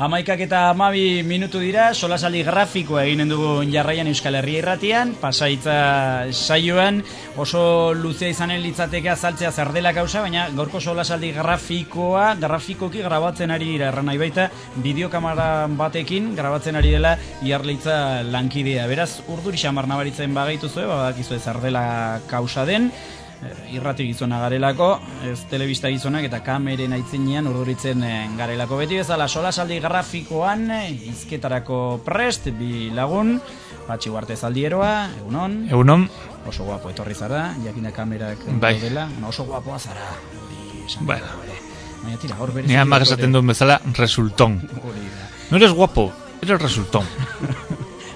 Amaikak eta 12 minutu dira, solasaldi grafikoa eginen dugu jarraian Euskal Herria irratian, Pasahitza saioan, oso luzea izanen litzateke azaltzea zer dela kausa, baina gaurko solasaldi grafikoki grabatzen ari dira, erran nahi baita, bideokamera batekin grabatzen ari dela Iarleitza lankidea. Beraz, urduri xamar nabaritzen bagaituzue, badakizue zer dela kausa den, irrati gizona garelako, ez telebista gizonak eta kameren aitzinean urduritzen garelako. Beti bezala solasaldi grafikoan hizketarako prest, bi lagun, Patxi Uarte Zaldieroa, egunon. Egunon. Oso guapo etorri zara, jakinda kamerak daudela, oso guapoa zara. Bueno. Baina tira, hor berez. Ni amak esaten duen bezala, resultón. No eres guapo, eres resultón.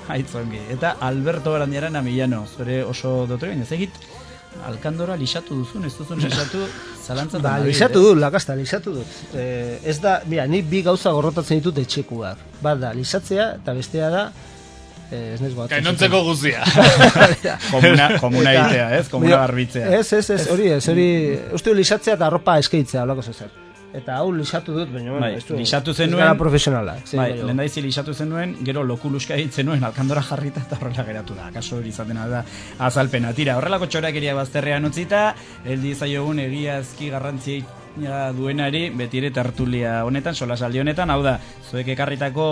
Aitzongi. Eta Alberto Barandiarana Millano, zure oso dotore, baina zegit, Alkandora lixatu duzun, ez duzun lixatu, zalantzat da. Lixatu dut, lakasta, lixatu dut. Ez da, mira, ni bi gauza gorrotatzen ditut etxekuak. Bat da, lixatzea, eta bestea da, ez nez bat. Kainontzeko guzia. Komuna itea, ez? Komuna garbitzea. Ez, hori, uste lixatzea eta arropa eskeitzea, olako zezer. Eta hau lixatu dut, baina lixatu zenuen, gara profesionala. Lehendaizi lixatu zenuen, gero lokuluska egiten zenuen, Alkandora jarrita eta horrela geratu da. Kaso hori izaten da azalpena. Tira, horrelako txorakeria bazterrean utzita, heldi zaiogun egiazki garrantzia duenari, betire tertulia honetan, solasaldi honetan, hau da, zuek ekarritako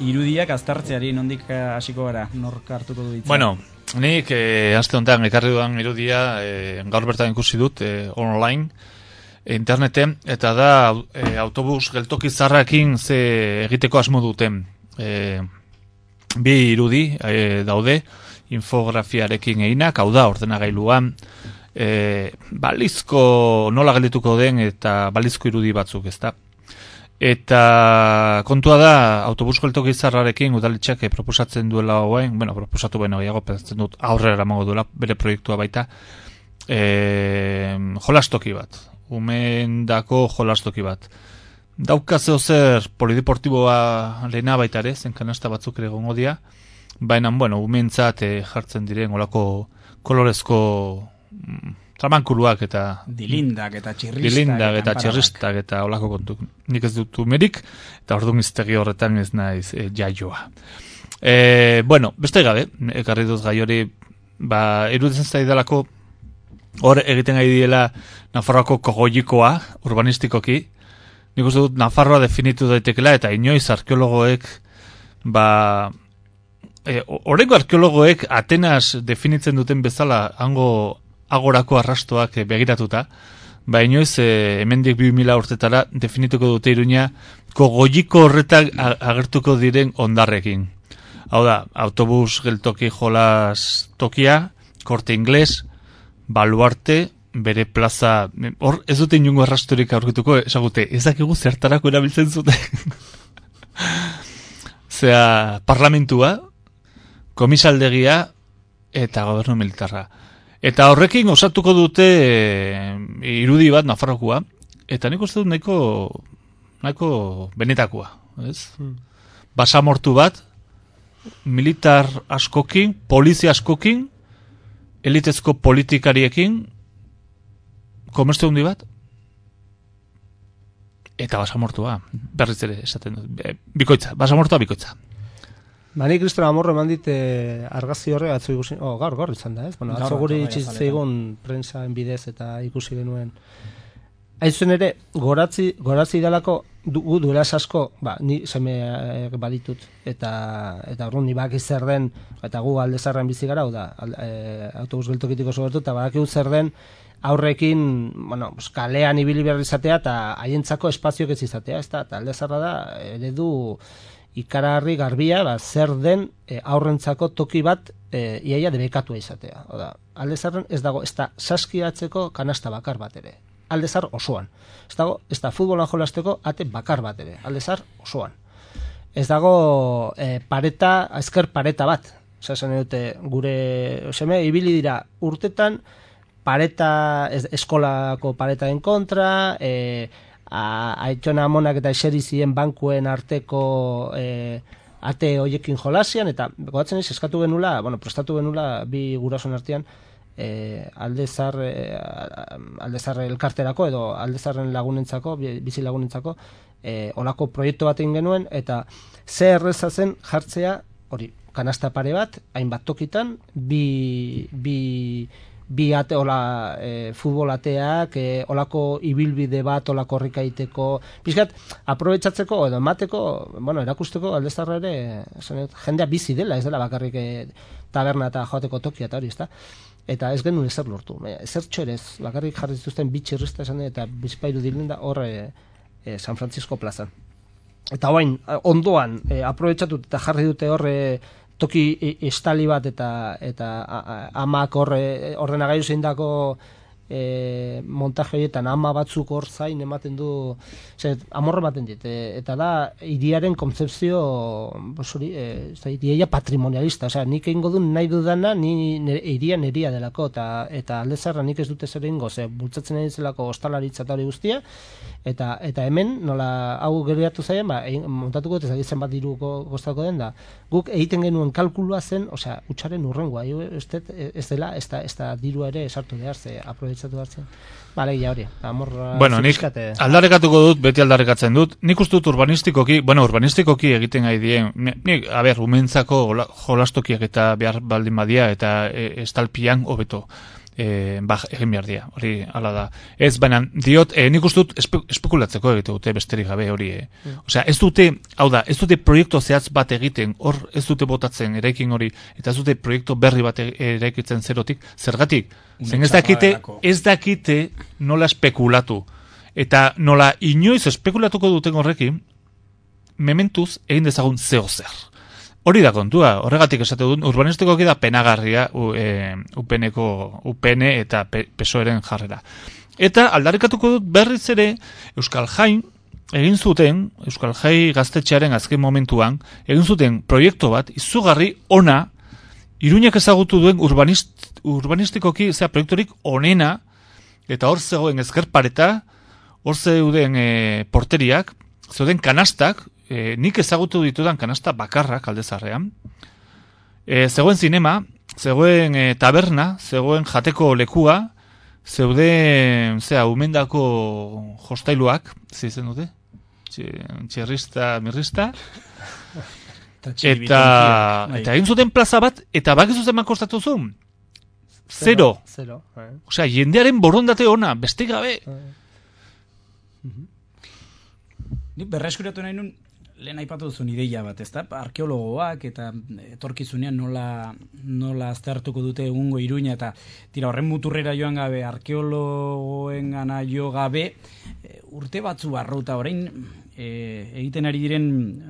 irudiak aztertzeari nondik hasiko gara, nork hartuko du ditza? Bueno, nik aste honetan ekarri dudan irudia, gaur bertan ikusi dut, online, interneten, eta da autobus geltoki zarrakin ze egiteko asmo duten. Bi irudi daude, infografiarekin eginak, hau da, ordenagailuan, balizko nola geldituko den eta balizko irudi batzuk, ezta. Eta kontua da, autobus geltoki zarrarekin udaletxeak proposatzen duela hoen, proposatu gehiago, pensatzen dut aurrera eramango duela, bere proiektua baita, jolastoki bat. Umendako jolastoki bat. Daukazeo zer polideportiboa lehena baita ere, zen kanasta batzuk ere gongo dia, baina, umentzat jartzen diren olako kolorezko tramankuluak eta dilindak eta txirristak eta olako kontuk. Nik ez dut umerik, eta orduan iztegi horretan ez naiz jaioa. Beste gabe, ekarri dut gai hori, iruditzen zaidalako hor egiten gai diela Nafarroako kogoikoa, urbanistikoki. Nik uste dut Nafarroa definitu daitekela eta inoiz arkeologoek horreko arkeologoek Atenas definitzen duten bezala hango agorako arrastoak begiratuta, inoiz hemendik 2000 urtetara definituko dute Iruña kogoiko horretak agertuko diren ondarrekin. Hau da, autobus geltoki jolas tokia, Corte Inglés, Baluarte, bere plaza, hor ez dute inungo arrastorik aurkituko, esagute, ez dakigu zertarako erabiltzen zuten. Zea, parlamentua, komisaldegia eta gobernu militarra. Eta horrekin osatuko dute irudi bat Nafarrokoa, eta nik uste dut nahiko benetakoa. Basamortu bat, militar askokin, polizia askokin, elitezko politikariekin, komertzio hundi bat, eta basamortua, berriz ere esaten dut, bikoitza, basamortua bikoitza. Ni Kriston Amorro eman dit argazki horre atzo ikusi, gaur izan da, ez? Atzo guri itxitzeigun prensaen bidez eta ikusi genuen. Haizen ere, goratzi idalako duela asko, ni seme baditut, eta orduan ni baki zer den, eta gu alde zarren bizi gara, autobus geltokitiko sobertu, eta baki zer den, aurrekin, kalean ibili behar izatea, eta haientzako espazioak ez izatea, eta alde zarra da, eredu ikaragarri garbia, zer den aurrentzako toki bat iaia debekatua izatea. Alde zarren ez dago, ez da saskiatzeko kanasta bakar bat ere. Aldezar osoan. Ez dago, ez da futbolan jolasteko ate bakar bat ere. Aldezar osoan. Ez dago ezker pareta bat. esan dute, gure seme ibili dira urtetan eskolako paretaren kontra, aitona amonak eta eseri ziren bankuen arteko ate hoiekin jolasian, eta gogatzen ez, eskatu genula, prestatu genula bi gurason artean, aldezar elkarterako edo aldezarren lagunentzako, bizi lagunentzako, olako proiektu bat egin genuen, eta ze erreza zen jartzea, hori, kanasta pare bat, hainbat tokitan, bi ate, futbol ateak, olako ibilbide bat, olako horrikaiteko, pixkat, aprobetsatzeko edo emateko, erakusteko aldezarra ere, jendea bizi dela, ez dela bakarrik taberna eta joateko tokia eta hori, ezta? Eta ez genuen ezer lortu. Ezer txorez, bakarrik jarri zituzten bitxirrista esan eta bizpairu dilenda horre San Francisco plazan. Eta hoain, ondoan, aprobetsatut eta jarri dute horre toki estali bat eta amak ordenagailu zeindako montaje horietan ama batzuk hor zain ematen du, amorre ematen dit, eta da hiriaren kontzepzio hiria patrimonialista, nik egingo du nahi dudana, hiria neria delako, eta aldezarra nik ez dute zer egingo, bultzatzen egin zelako ostalaritza eta hori guztia, eta hemen, nola hau geratu zaien, montatuko ez zen bat diruko goztako den da, guk egiten genuen kalkulua zen, utxaren urrengoa, ez dela, ez da dirua ere esartu behar, aprobetsatu behar zen. Alegia hori, amorra... Nik aldarrekatuko dut, beti aldarrekatzen dut, nik uste dut urbanistikoki egiten gai dien, nik, umentzako jolastokiak eta behar baldin badia, eta estalpian hobeto egin behar dia, hori ala da. Ez, baina, diot, nik uste dut espekulatzeko egite dute besterik gabe hori. Osea, ez dute proiektu zehatz bat egiten, hor ez dute botatzen eraikin hori, eta ez dute proiektu berri bat eraikitzen zerotik, zergatik? Zen ez dakite nola espekulatu. Eta nola inoiz espekulatuko duten horrekin, mementuz egin dezagun zeo zer. Hori da kontua, horregatik esate dut, urbanistikoki da penagarria UPN eta PSOEren jarrera. Eta aldarrikatuko dut berriz ere Euskal Jai egin zuten, Euskal Jai gaztetxearen azken momentuan, egin zuten proiektu bat, izugarri ona, Iruñak ezagutu duen urbanistikoki proiekturik onena, eta hor zegoen ezkerpareta, hor zeuden porteriak, zeuden kanastak, nik ezagutu ditudan kanasta bakarrak aldezarrean, zegoen zinema, zegoen taberna, zegoen jateko lekua, zeuden umendako jostailuak, zizen dute? Txerrista, mirrista, eta egin zuten plaza bat, eta bakizu zen kostatu zuen? Zero. Osea, jendearen borondate ona, beste gabe. Nik berreskuratu nahi nun, lehen aipatu duzun ideia bat, ezta? Arkeologoak eta etorkizunean nola aztertuko dute egungo Iruña, eta tira horren muturrera joan gabe, arkeologoen gana jo gabe, urte batzu barruta orain egiten ari diren,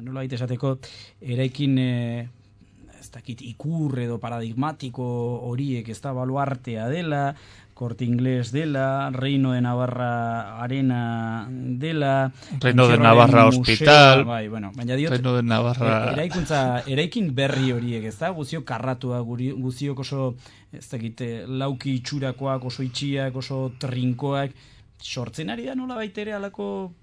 nola baita esateko, eraikin ez dakit ikur edo paradigmatiko horiek, ez da baluartea dela, Corte Inglés dela, Reino de Navarra Arena dela, Reino de Navarra Hospital, baina diot, Reino de Navarra eraikin berri horiek, ez da, guziok karratua, guziok oso, ez dakit, lauki itxurakoak, oso itxiak, oso trinkoak, sortzen ari da nola baitere alako,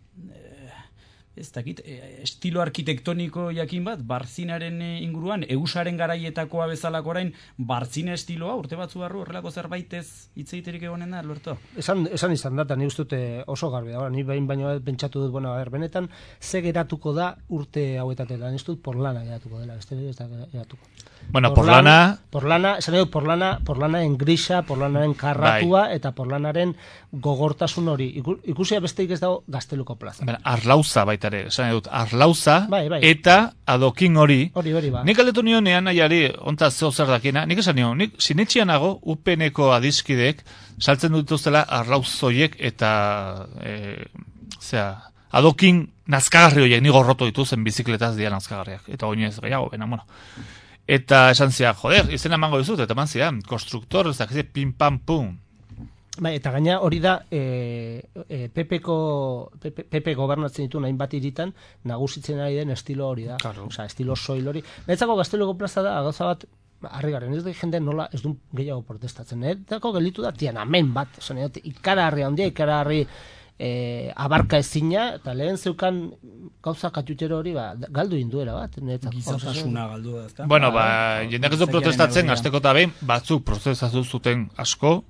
ez dakit, estilo arkitektoniko jakin bat, Barzinaren inguruan, Eusaren garaietakoa bezalako orain, Barzina estiloa, urte batzu barru, horrelako zerbaitez hitzeiterik egonen da, Alberto? Esan izan data, ni ustute oso garbi da, ni behin baino pentsatu dut, benetan, ze geratuko da urte hauetatea, ni ustut porlana geratuko dela, ez da geratuko. Bueno, porlanaren grisa, porlanaren karratua, eta porlanaren gogortasun hori. Ikusia besteik ez dago Gazteluko plaza. Arlauza baita ere, esan dut, Arlauza, eta adokin hori. Ba. Nik aldetu nion ean nahiari, ontaz zeo zer dakina, nik esan nion, nik sinetxianago UPN-eko adizkidek saltzen dituztela Arlauzoiek eta adokin nazkagarri horiek, ni gorroto dituzen bizikletaz dira nazkagarriak, eta oinez gehiago, Eta esan zian, joder, izena emango dizut, eta eman zian, konstruktor, ez dakize, pim, pam, pum. Eta gaina hori da, PP gobernatzen ditu nahin bat iritan, nagusitzen ari den estilo hori da. Claro. Estilo soil hori. Betzako Gazteluko plaza da, gauza bat, harri garen, ez da jende nola ez du gehiago protestatzen. Etako gelitu da, tian, amen bat, ikaraharri handia, ikaraharri abarka ezina, eta lehen zeukan gauza katutero hori galdu induera bat. Gizatasuna galdu da, ezta? Bueno, jendeak ez du protestatzen, azteko eta behin, batzuk protestatu zuten asko,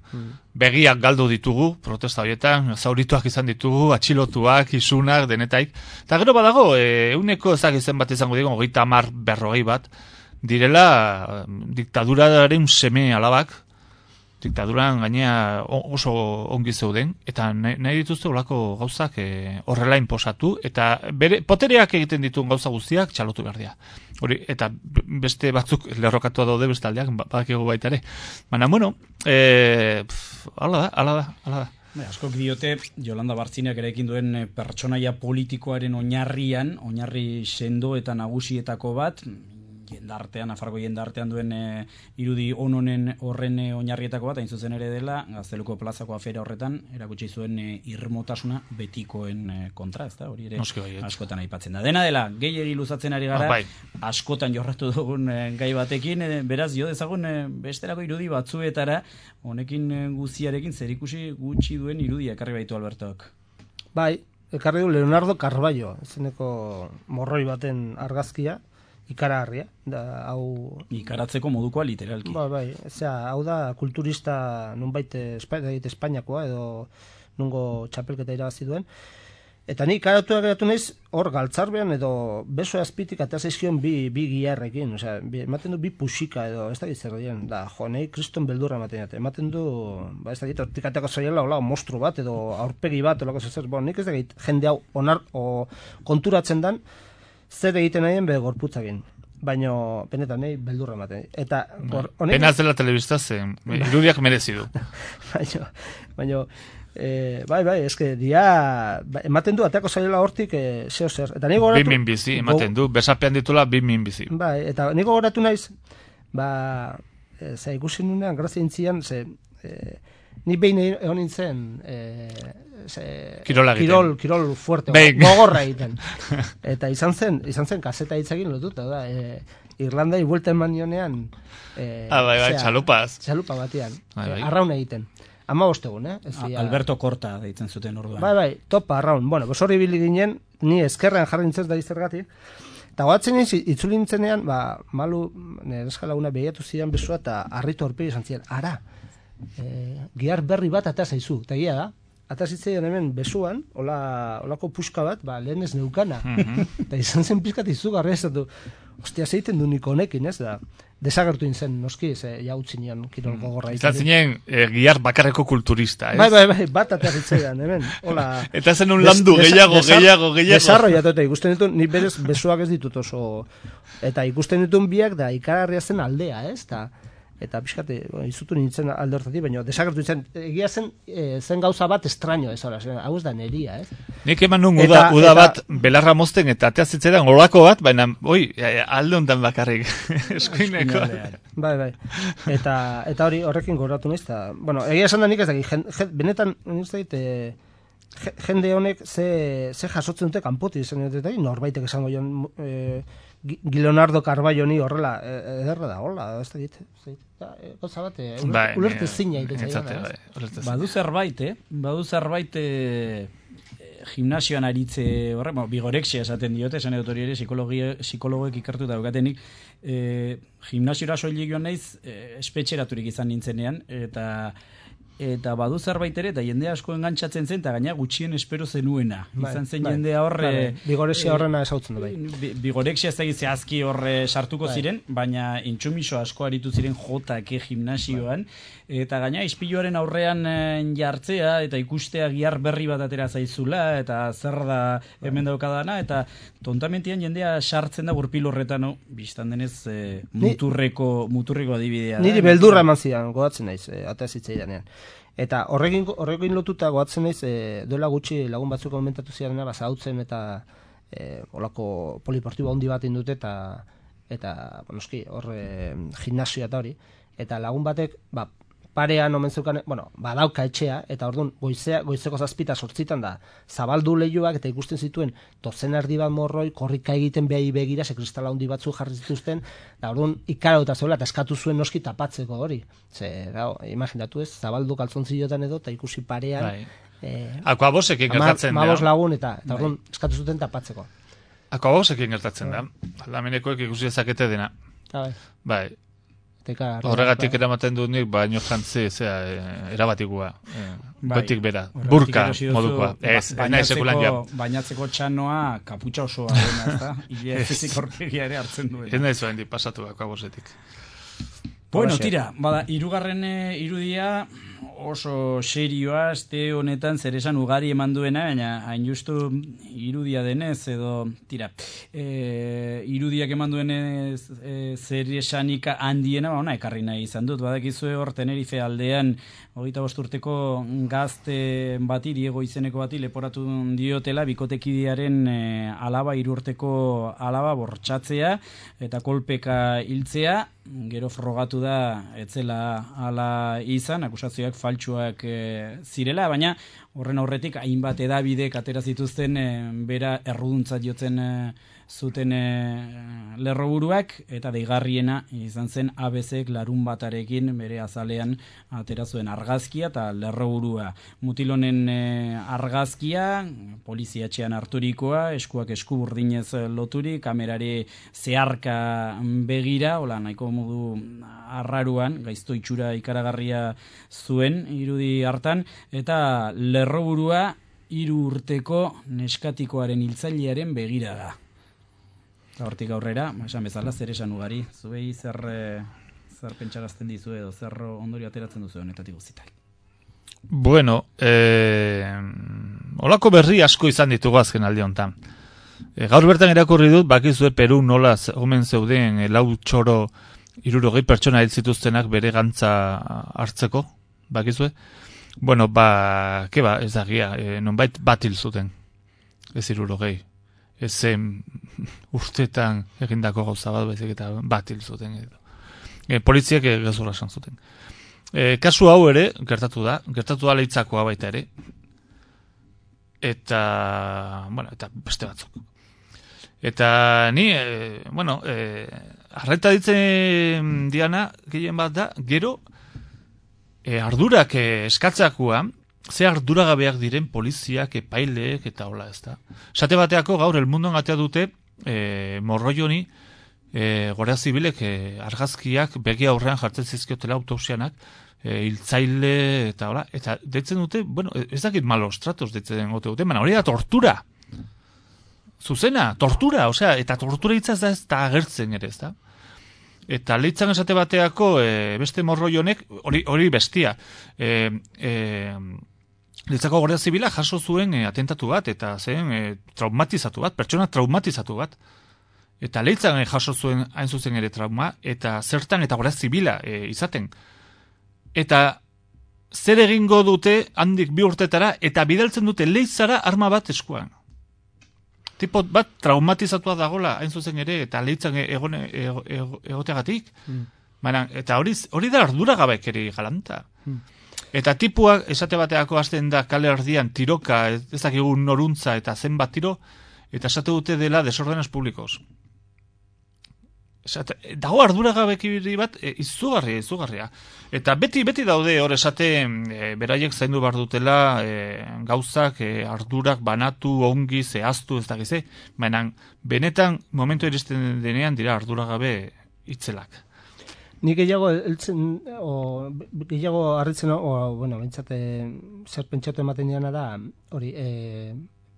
begiak galdu ditugu, protesta horietan, zaurituak izan ditugu, atxilotuak, isunak, denetaik. Eta gero badago, euneko ezak izan bat izango digun, 30-40 bat, direla diktaduraren seme alabak, diktaduran gainea oso ongi zeuden, eta nahi dituzte olako gauzak horrela inposatu, eta bere potereak egiten dituen gauza guztiak txalotu behar dira. Hori, eta beste batzuk lerrokatua daude beste aldeak, badakigu baita ere. Baina, bueno, ala da. Askok diote, Jolanda Bartziniak erekin duen pertsonaia politikoaren oinarri sendo eta nagusietako bat, Nafarroko jendartean duen irudi horren oinarrietako bat, hain zuzen ere dela, Gazteluko plazako afera horretan, erakutsi zuen irmotasuna betikoen kontra, ezta? Hori ere askotan aipatzen da. Dena dela, gehiegi luzatzen ari gara, askotan jorratu dugun gai batekin, beraz, jo dezagun besterako irudi batzuetara, honekin guztiarekin zerikusi gutxi duen irudia ekarri baitu Albertok. Bai, ekarri du Leonardo Carballo, zeneko morroi baten argazkia, ikaragarria, da hau ikaratzeko modukoa literalki. Bai, hau da kulturista nunbait Espainiakoa edo nungo txapelketa irabazi duen. Eta ni ikaratuak geratu naiz hor galtzarbean edo beso azpitik eta zaizkion bi giarrekin, ematen du bi pusika edo ez da zer dien, da nei kriston beldurra ematen du, ez da dit, hortik ateko zaiela hola mostru bat edo aurpegi bat olako zer, nik ez da gait jende hau konturatzen dan zer egiten nahien bere gorputzakin. Baina, benetan, nahi beldurra ematen. Eta, pena zela telebista zen, irudiak merezi du. Baina, bai, eske, ematen du, ateako zailela hortik, zeo zer. Eta nigo goratu... Bimin bizi, ematen du, besapean ditula bimin bizi. Bai, eta nigo goratu naiz, ikusi nunean, grazia intzian, ni behin egon nintzen kirol fuerte, gogorra egiten. Eta izan zen kaseta hitzekin lotuta, da, Irlandai buelta eman nionean txalupa batean, arraun egiten. 15 egun, Alberto Korta deitzen zuten orduan. Bai, topa, arraun. Bueno, horri bili ginen, ni eskerrean jarri nintzen da izergatik, eta goatzen itzuli nintzenean, malu, nire eskalaguna behiatu zidan bezua, eta harritu horpegi izan zidan, ara, gihar berri bat ata zaizu, eta gira da, ata zitzaidan hemen besuan, olako puska bat, lehen ez neukana, eta izan zen pizkat izugarri ez dut, ostia zeiten du niko honekin, ez da, desagertu nintzen, noski, jautzi nian kirol gogorra. Izan zinen, gihar bakarreko kulturista, ez? Bai, bat ata zitzaidan, hemen, hola. Eta zen un landu, gehiago. Desarrollatu, eta ikusten ditun, ni berez besuak ez ditut oso, eta ikusten ditun biak da, ikararria zen aldea, ez, eta pixkate, izutu nintzen alde hortatik, baina desagertu nintzen, egia zen gauza bat estraño ez, hau ez da neria, ez? Nik eman nun uda bat belarra mozten eta atea zitzaidan olako bat, baina, alde honetan bakarrik, eskuineko. Bai, eta horrekin goratu naiz, eta, bueno, egia esan da nik ez dakit, benetan, jende honek ze jasotzen dute kanpoti izan dut, norbaitek esango joan Leonardo Carballo ni horrela ederra da, hola, ez da dit. Gauza bat, ulerte zina iten. Badu zerbait gimnasioan aritze horre, bigorexia esaten diote, esan edut hori ere, psikologoek ikertu daukatenik, gimnasiora soilik joan naiz, espetxeraturik izan nintzenean, eta badu zerbait ere, eta jende asko engantzatzen zen, eta gaina gutxien espero zenuena. Izan zen jendea horre... Bigorexia horrena esautzen du bai. Bigorexia ez da zehazki horre sartuko ziren, baina intsumiso asko aritu ziren jotake gimnasioan, eta gaina ispiluaren aurrean jartzea, eta ikustea gihar berri bat atera zaizula, eta zer da hemen daukadana, eta tontamentian jendea sartzen da gurpil horretan, biztan denez muturreko adibidea. Niri beldurra eman zidan, godatzen naiz, atea zitzaidanean. Eta horrekin lotuta goatzen naiz, duela gutxi lagun batzuk komentatu ziren, zautzen eta olako poliportibo handi bat indute eta noski, horre gimnasioa eta hori. Eta lagun batek, parean omen zeukan, badauka etxea, eta orduan goizeko 7:00 da, zabaldu leihoak eta ikusten zituen dozen erdi bat morroi, korrika egiten behi begira, kristala handi batzu jarri zituzten, da orduan ikarauta zeula, eta eskatu zuen noski tapatzeko hori. Imaginatu ez, zabaldu kaltzontziotan edo, eta ikusi parean, Akuabosekin gertatzen da. 15 lagun, eta orduan eskatu zuten tapatzeko. Akuabosekin gertatzen da. Aldamenekoek ikusi dezakete dena. Bai. Horregatik eramaten dut nik, baino jantzi, erabatikua. Gotik bera, burka modukoa. Ez, nahi sekulan ja. Bainatzeko txanoa kaputxa osoa dena, ez da? Ile fizik horregia ere hartzen duen. Ez nahi zuen di pasatu akuabosetik. Bueno, tira, bada, hirugarren irudia oso serioa, aste honetan zer esan ugari eman duena, baina hain justu irudia denez, edo, tira, irudiak eman duenez zer esanik handiena, ekarri nahi izan dut, badakizue hor Tenerife aldean, 25 urteko gazte bati, Diego izeneko bati, leporatu diotela, bikotekidearen alaba, 3 urteko alaba bortxatzea, eta kolpeka hiltzea, gero frogatu da etzela ala izan, akusazioak faltsuak zirela, baina horren aurretik hainbat edabidek atera zituzten bera erruduntzat jotzen zuten lerroburuak, eta deigarriena izan zen ABCek larun batarekin bere azalean atera zuen argazkia eta lerroburua. Mutilonen argazkia, poliziatxean harturikoa, eskuak esku burdinez loturi, kamerari zeharka begira, hola nahiko modu arraruan, gaizto itxura ikaragarria zuen irudi hartan, eta lerroburua 3 urteko neskatikoaren hiltzailearen begira da. Hortik aurrera, esan bezala, zer esan ugari, zuei zer pentsarazten dizu edo, zer ondorio ateratzen duzu honetatik guztiak. Bueno, olako berri asko izan ditugu azken aldi honetan. Gaur bertan irakurri dut, bakizue Peru nola omen zeuden 4 txoro 60 pertsona hil zituztenak bere gantza hartzeko, bakizue? Bueno, ez da gia, nonbait bat hil zuten, ez 60. Ez zen urtetan egindako gauza bat, baizik eta bat hil zuten. Poliziak gezurra esan zuten. Kasu hau ere, gertatu da Leitzakoa baita ere. Eta beste batzuk. Eta ni, arreta ditzen diana, gehien bat da, gero, ardurak eskatzakoa, ze arduragabeak diren poliziak, epaileek, eta hola ez da. Esate bateako gaur, El Mundon atea dute, Morroioni, Guardia Zibilek argazkiak begi aurrean jartzen zizkiotela autopsianak, hiltzaile, eta hola, eta deitzen dute, ez dakit malos tratos deitzen dute, baina hori da tortura. Zuzena, tortura, eta tortura hitza ez da agertzen ere, ez da. Eta Leitzan esate bateako beste Morroionek, hori bestia, Leitzako Guardia Zibila jaso zuen atentatu bat, eta zen traumatizatu bat, pertsona traumatizatu bat. Eta Leitzan jaso zuen hain zuzen ere trauma, eta zertan eta Guardia Zibila izaten. Eta zer egingo dute handik 2 urtetara, eta bidaltzen dute Leitzara arma bat eskuan. Tipo bat traumatizatua dagola hain zuzen ere, eta Leitzan egoteagatik. Eta hori da arduragabekeri galanta. Eta tipuak esate bateako hasten da kale erdian tiroka, ez dakigu noruntza eta zenbat tiro, eta esate dute dela desordenes publikos. Dago arduragabekiri bat izugarria. Eta beti daude hor esate beraiek zaindu behar dutela gauzak ardurak banatu, ongi, zehaztu, ez dakize. Baina benetan momentu iristen denean dira arduragabe itzelak. Ni gehiago harritzen, bentsate zer pentsatu ematen diana da, hori,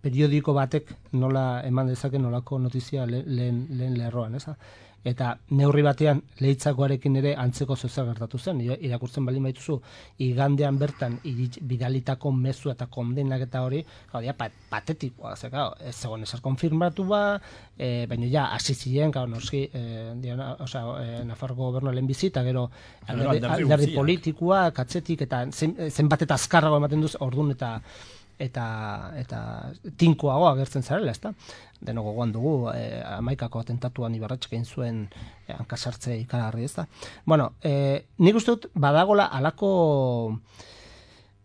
periodiko batek nola eman dezake nolako notizia lehen lerroan, eza? Eta neurri batean Leitzakoarekin ere antzeko zozer gertatu zen, irakurtzen baldin baituzu, igandean bertan bidalitako mezu eta kondenak eta hori, patetikoa, ez zegoen ezer konfirmatu baina ja, hasi ziren, noski, Nafarroko gobernu lehen bizita, gero alderdi politikoa, katzetik, eta zenbat eta azkarrago ematen duz, ordun eta eta tinkoago agertzen zarela, ezta? Deno gogoan dugu, 11ko atentatuan Ibarretxek egin zuen hankasartze ikaragarri, ezta? Bueno, nik uste dut badagola alako...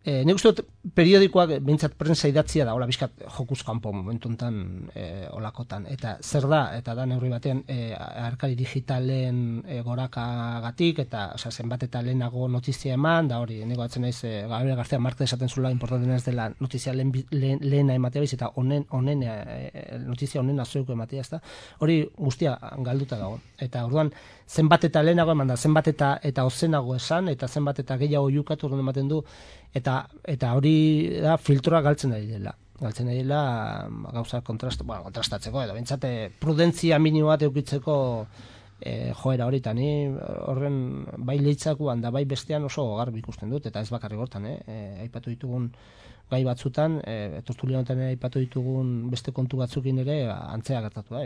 nik uste dut periodikoak behintzat prensa idatzia da, hola bizkat jokuz kanpo momentu enten olakotan. Eta zer da, eta da neurri batean arkari digitalen gorakagatik, eta zenbat eta lehenago notizia eman, da hori, nego atzen naiz, Gabriel García Márquez esaten zula importanten ez dela notizia lehena ematea biz, eta notizia honena zeuko ematea, ez da? Hori guztia galduta dago. Eta orduan, zenbat eta lehenago eman da, zenbat eta ozenago esan, eta zenbat eta gehiago jukatu orduan ematen du, eta hori da filtroa galtzen ari dela. Galtzen ari dela gauza kontrastatzeko, edo bentsate prudentzia minimo bat eukitzeko joera hori, eta ni horren bai leitzakuan da bai bestean oso garbi ikusten dut, eta ez bakarrik hortan, aipatu ditugun gai batzutan, tertulia honetan aipatu ditugun beste kontu batzukin ere antzea gertatu da,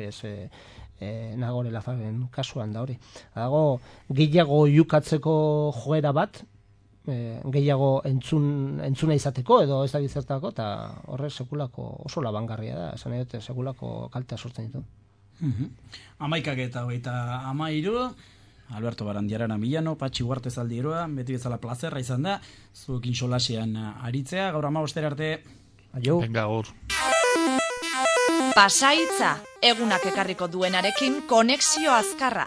Nagore Lafaren kasuan da hori. Dago gehiago jukatzeko joera bat, gehiago entzuna izateko edo ez da gizertako, eta horre sekulako oso labangarria da, esan edo sekulako kaltea sortzen ditu. 11:23, Alberto Barandiarana Milano, Patxi Huarte Zaldieroa, beti bezala plazerra izan da, zuekin solasean aritzea, gaur 15 arte. Aio. Venga, gaur. Pasaitza, egunak ekarriko duenarekin konexio azkarra.